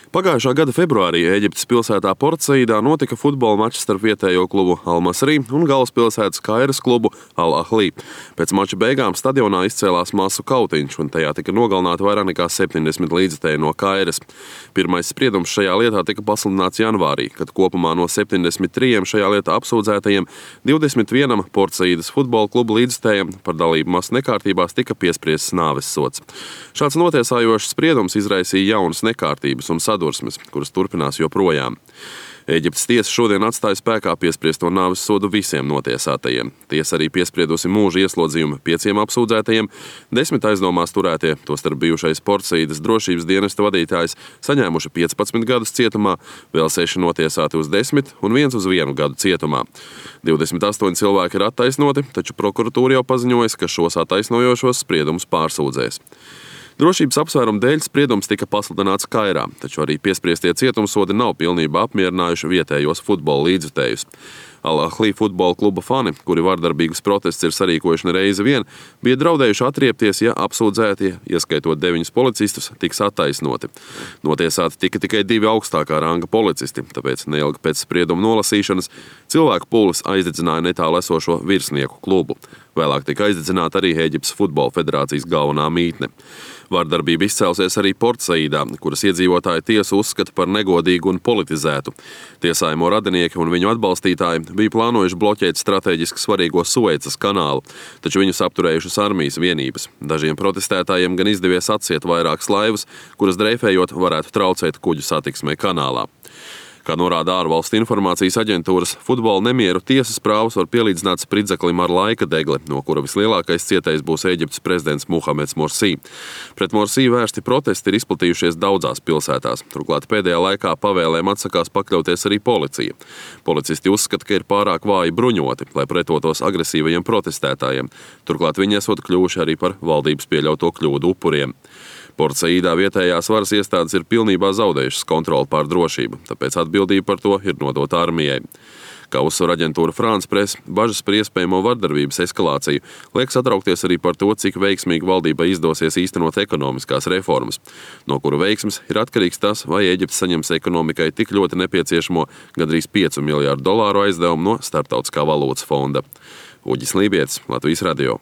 Pagājušā gada februārī Ēģiptes pilsētā Port Saidā notika futbola mačs starp vietējo klubu Al Masry un galvaspilsētas Kairas klubu Al Ahly. Pēc mača beigām stadionā izcēlās masu kautiņš, un tajā tika nogalināti vairāk nekā 70 līdzekļi no Kairas. Pirmais spriedums šajā lietā tika pasludināts janvārī, kad kopumā no 73 šajā lietā apsūdzētajiem 21 Port Saidas futbola klubu līdzekļiem par dalību masu nekārtībās tika piespriests nāves sods. Šāds notiesājošs spriedums izraisīja jaunas nekārtības un sadursmes, kuras turpinās joprojām. Ēģiptes tiesa šodien atstāja spēkā piespriesto nāves sodu visiem notiesātajiem. Tiesa arī piespriedusi mūža ieslodzījumu 5 apsūdzētajiem, 10 aizdomās turētie, tostarp bijušais Port Saidas drošības dienesta vadītājs, saņēmuši 15 gadus cietumā, vēl 6 notiesāti uz 10 un 1 uz 1 gadu cietumā. 28 cilvēki ir attaisnoti, taču prokuratūra jau paziņojas, ka šos attaisnojošos spriedumus pārsūdzēs. Drošības apsvērumu dēļ spriedums tika pasludināts Kairā, taču arī piespriestie cietumsodi nav pilnībā apmierinājuši vietējos futbola līdzjutējus. Al Ahly futbola kluba fani, kuri vardarbīgus protestus ir sarīkojuši ne reizi vien, bija draudējuši atriepties, ja apsūdzētie, ieskaitot 9 policistus, tiks attaisnoti. Notiesāti tika tikai 2 augstākā ranga policisti, tāpēc neilgi pēc sprieduma nolasīšanas cilvēku pullis aizdedzināja netālu esošo virsnieku klubu. Vēlāk tika aizdedzināta arī Ēģiptes futbola federācijas galvenā mītne. Vardarbība izcēlusies arī Port Saidā, kuras iedzīvotāji tiesu uzskata par negodīgu un politizētu. Tiesājamo radinieki un viņu atbalstītāji bija plānojuši bloķēt strateģiski svarīgo Suecas kanālu, taču viņus apturējušas armijas vienības. Dažiem protestētājiem gan izdevies atsiet vairākas laivas, kuras dreifējot varētu traucēt kuģu satiksmei kanālā. Kā norāda ārvalstu informācijas aģentūras, futbola nemieru tiesas prāvus var pielīdzināt spridzeklim ar laika degli, no kura vislielākais cietējs būs Ēģiptes prezidents Muhameds Morsi. Pret Morsi vērsti protesti ir izplatījušies daudzās pilsētās. Turklāt pēdējā laikā pavēlēm atsakās pakļauties arī policija. Policisti uzskata, ka ir pārāk vāji bruņoti, lai pretotos agresīvajiem protestētājiem. Turklāt viņi esot kļuvuši arī par valdības pieļauto kļūdu upuriem. Port Saidā vietējās varas iestādes ir pilnībā zaudējušas kontroli pār drošību, tāpēc atbildība par to ir nodota armijai. Kā uzsver aģentūra France Press, bažas par iespējamo vardarbības eskalāciju liek satraukties arī par to, cik veiksmīgi valdībai izdosies īstenot ekonomiskās reformas, no kuru veiksmes ir atkarīgs tas, vai Ēģipte saņems ekonomikai tik ļoti nepieciešamo gandrīz $5 miljārdu aizdevumu no Starptautiskā valūtas fonda. Uģis Lībietis, Latvijas radio.